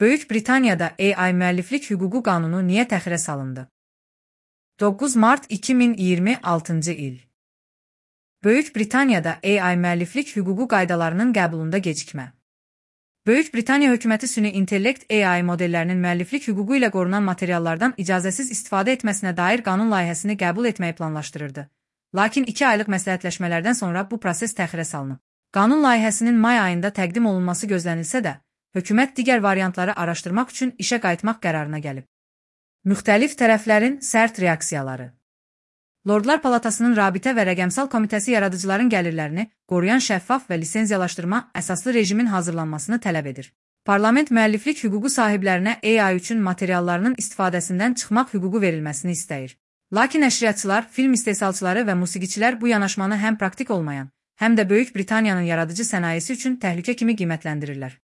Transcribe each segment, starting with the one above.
Böyük Britaniyada AI müəlliflik hüququ qanunu niyə təxirə salındı? 9 mart 2026-cı il. Böyük Britaniyada AI müəlliflik hüququ qaydalarının qəbulunda gecikmə. Böyük Britaniya hökuməti süni intellekt AI modellərinin müəlliflik hüququ ilə qorunan materiallardan icazəsiz istifadə etməsinə dair qanun layihəsini qəbul etməyi planlaşdırırdı. Lakin 2 aylıq məsləhətləşmələrdən sonra bu proses təxirə salınıb. Qanun layihəsinin may ayında təqdim olunması gözlənilsə də, hökumət digər variantları araşdırmaq üçün işə qayıtmaq qərarına gəlib. Müxtəlif tərəflərin sərt reaksiyaları. Lordlar Palatasının Rabitə və Rəqəmsal Komitəsi yaradıcıların gəlirlərini qoruyan şəffaf və lisenziyalaşdırma əsaslı rejimin hazırlanmasını tələb edir. Parlament müəlliflik hüququ sahiblərinə AI üçün materiallarının istifadəsindən çıxmaq hüququ verilməsini istəyir. Lakin nəşriyyatçılar, film istehsalçıları və musiqiçilər bu yanaşmanı həm praktik olmayan, həm də Böyük Britaniyanın yaradıcı sənayesi üçün təhlükə kimi qiymətləndirirlər.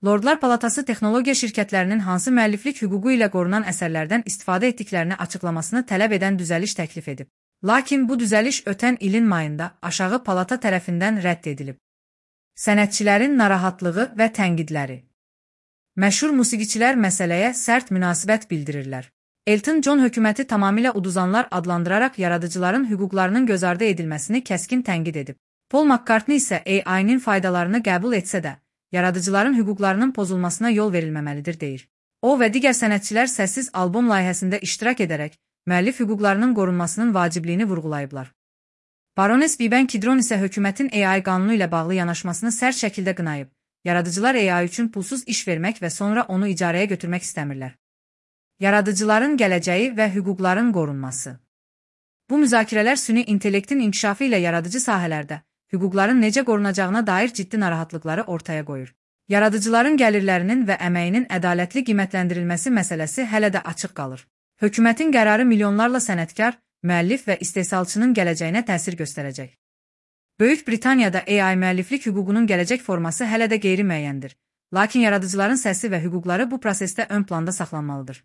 Lordlar Palatası texnologiya şirkətlərinin hansı müəlliflik hüququ ilə qorunan əsərlərdən istifadə etdiklərini açıqlamasını tələb edən düzəliş təklif edib. Lakin bu düzəliş ötən ilin mayında aşağı palata tərəfindən rədd edilib. Sənətçilərin narahatlığı və tənqidləri. Məşhur musiqiçilər məsələyə sərt münasibət bildirirlər. Elton John hökuməti tamamilə uduzanlar adlandıraraq yaradıcıların hüquqlarının göz ardı edilməsini kəskin tənqid edib. Paul McCartney isə AI-nin faydalarını qəbul etsə də, yaradıcıların hüquqlarının pozulmasına yol verilməməlidir deyir. O və digər sənətçilər səssiz albom layihəsində iştirak edərək, müəllif hüquqlarının qorunmasının vacibliyini vurğulayıblar. Baroness Vivian Kidron isə hökumətin AI qanunu ilə bağlı yanaşmasını sərt şəkildə qınayıb. Yaradıcılar AI üçün pulsuz iş vermək və sonra onu icarəyə götürmək istəmirlər. Yaradıcıların gələcəyi və hüquqların qorunması. Bu müzakirələr süni intellektin inkişafı ilə yaradıcı sahələrdə hüquqların necə qorunacağına dair ciddi narahatlıqları ortaya qoyur. Yaradıcıların gəlirlərinin və əməyinin ədalətli qiymətləndirilməsi məsələsi hələ də açıq qalır. Hökumətin qərarı milyonlarla sənətkar, müəllif və istehsalçının gələcəyinə təsir göstərəcək. Böyük Britaniyada AI müəlliflik hüququnun gələcək forması hələ də qeyri-müəyyəndir. Lakin yaradıcıların səsi və hüquqları bu prosesdə ön planda saxlanmalıdır.